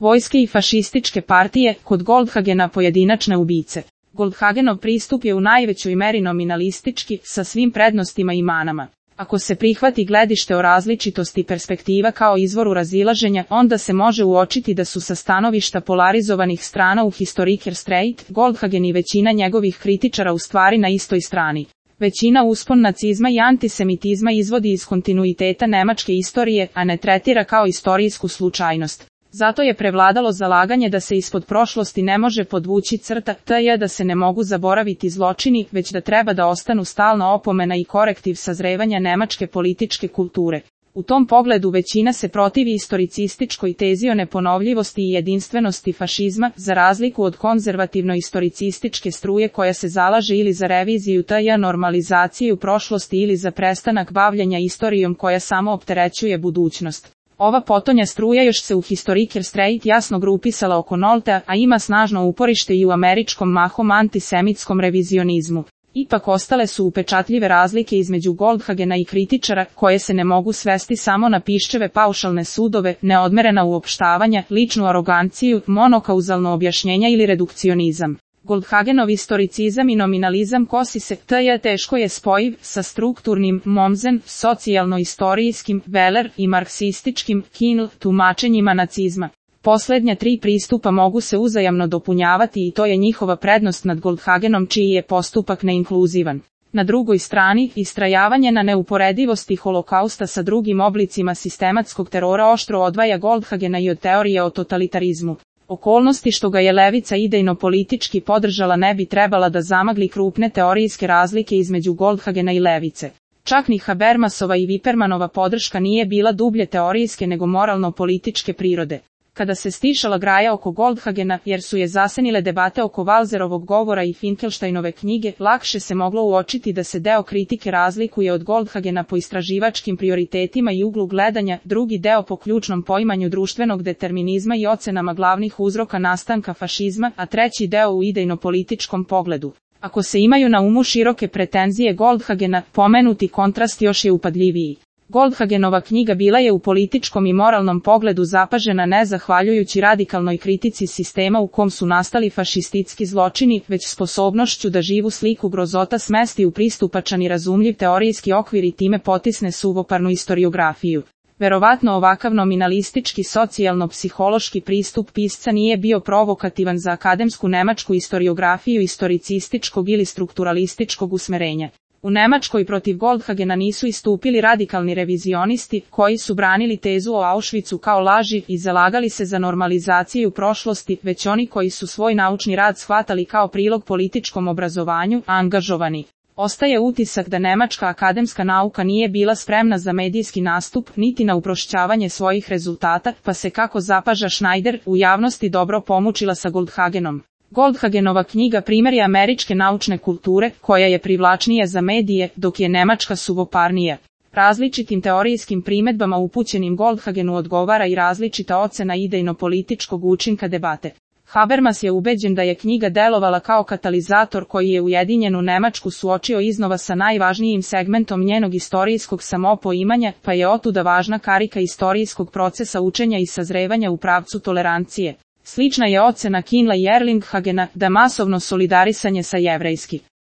vojske i fašističke partije, kod Goldhagena pojedinačne ubice. Goldhagenov pristup je u najvećoj meri nominalistički, sa svim prednostima i manama. Ako se prihvati gledište o različitosti perspektiva kao izvoru razilaženja, onda se može uočiti da su sa stanovišta polarizovanih strana u Historiker Straight, Goldhagen i većina njegovih kritičara u stvari na istoj strani. Većina uspon nacizma i antisemitizma izvodi iz kontinuiteta nemačke istorije, a ne tretira kao istorijsku slučajnost. Zato je prevladalo zalaganje da se ispod prošlosti ne može podvući crta, t.j. da se ne mogu zaboraviti zločini, već da treba da ostanu stalna opomena i korektiv sazrevanja nemačke političke kulture. U tom pogledu većina se protivi istoricističkoj tezi o neponovljivosti i jedinstvenosti fašizma, za razliku od konzervativno-istoricističke struje koja se zalaže ili za reviziju t.j. normalizaciju prošlosti ili za prestanak bavljenja istorijom koja samo opterećuje budućnost. Ova potonja struja još se u Historiker Straight jasno grupisala oko Noltea, a ima snažno uporište i u američkom mahom antisemitskom revizionizmu. Ipak ostale su upečatljive razlike između Goldhagena i kritičara, koje se ne mogu svesti samo na piščeve paušalne sudove, neodmerena uopštavanja, ličnu aroganciju, monokauzalno objašnjenja ili redukcionizam. Goldhagenov istoricizam i nominalizam kosi se, t.j. teško je spojiv, sa strukturnim, Mommsen, socijalno-istorijskim, Weller i marksističkim, Kinl, tumačenjima nacizma. Poslednja tri pristupa mogu se uzajamno dopunjavati i to je njihova prednost nad Goldhagenom čiji je postupak neinkluzivan. Na drugoj strani, istrajavanje na neuporedivosti holokausta sa drugim oblicima sistematskog terora oštro odvaja Goldhagena i od teorije o totalitarizmu. Okolnosti što ga je levica idejno-politički podržala ne bi trebala da zamagli krupne teorijske razlike između Goldhagena i levice. Čak ni Habermasova i Wippermanova podrška nije bila dublje teorijske nego moralno-političke prirode. Kada se stišala graja oko Goldhagena, jer su je zasenile debate oko Walzerovog govora i Finkelsteinove knjige, lakše se moglo uočiti da se deo kritike razlikuje od Goldhagena po istraživačkim prioritetima i uglu gledanja, drugi deo po ključnom poimanju društvenog determinizma i ocenama glavnih uzroka nastanka fašizma, a treći deo u idejno-političkom pogledu. Ako se imaju na umu široke pretenzije Goldhagena, pomenuti kontrast još je upadljiviji. Goldhagenova knjiga bila je u političkom i moralnom pogledu zapažena ne zahvaljujući radikalnoj kritici sistema u kom su nastali fašistički zločini, već sposobnošću da živu sliku grozota smesti u pristupačan i razumljiv teorijski okvir i time potisne suvoparnu istoriografiju. Verovatno ovakav nominalistički socijalno-psihološki pristup pisca nije bio provokativan za akademsku nemačku istoriografiju istoricističkog ili strukturalističkog usmerenja. U Nemačkoj protiv Goldhagena nisu istupili radikalni revizionisti, koji su branili tezu o Auschwitzu kao laži i zalagali se za normalizaciju prošlosti, već oni koji su svoj naučni rad shvatali kao prilog političkom obrazovanju, angažovani. Ostaje utisak da nemačka akademska nauka nije bila spremna za medijski nastup, niti na uprošćavanje svojih rezultata, pa se kako zapaža Schneider, u javnosti dobro pomučila sa Goldhagenom. Goldhagenova knjiga primjer je američke naučne kulture, koja je privlačnija za medije, dok je nemačka suvoparnija. Različitim teorijskim primedbama upućenim Goldhagenu odgovara i različita ocena idejno-političkog učinka debate. Habermas je ubeđen da je knjiga delovala kao katalizator koji je ujedinjenu Nemačku suočio iznova sa najvažnijim segmentom njenog istorijskog samopoimanja, pa je otuda važna karika istorijskog procesa učenja i sazrevanja u pravcu tolerancije. Slična je ocena Kinla i Erlinghagena da masovno solidarisanje sa jevrejski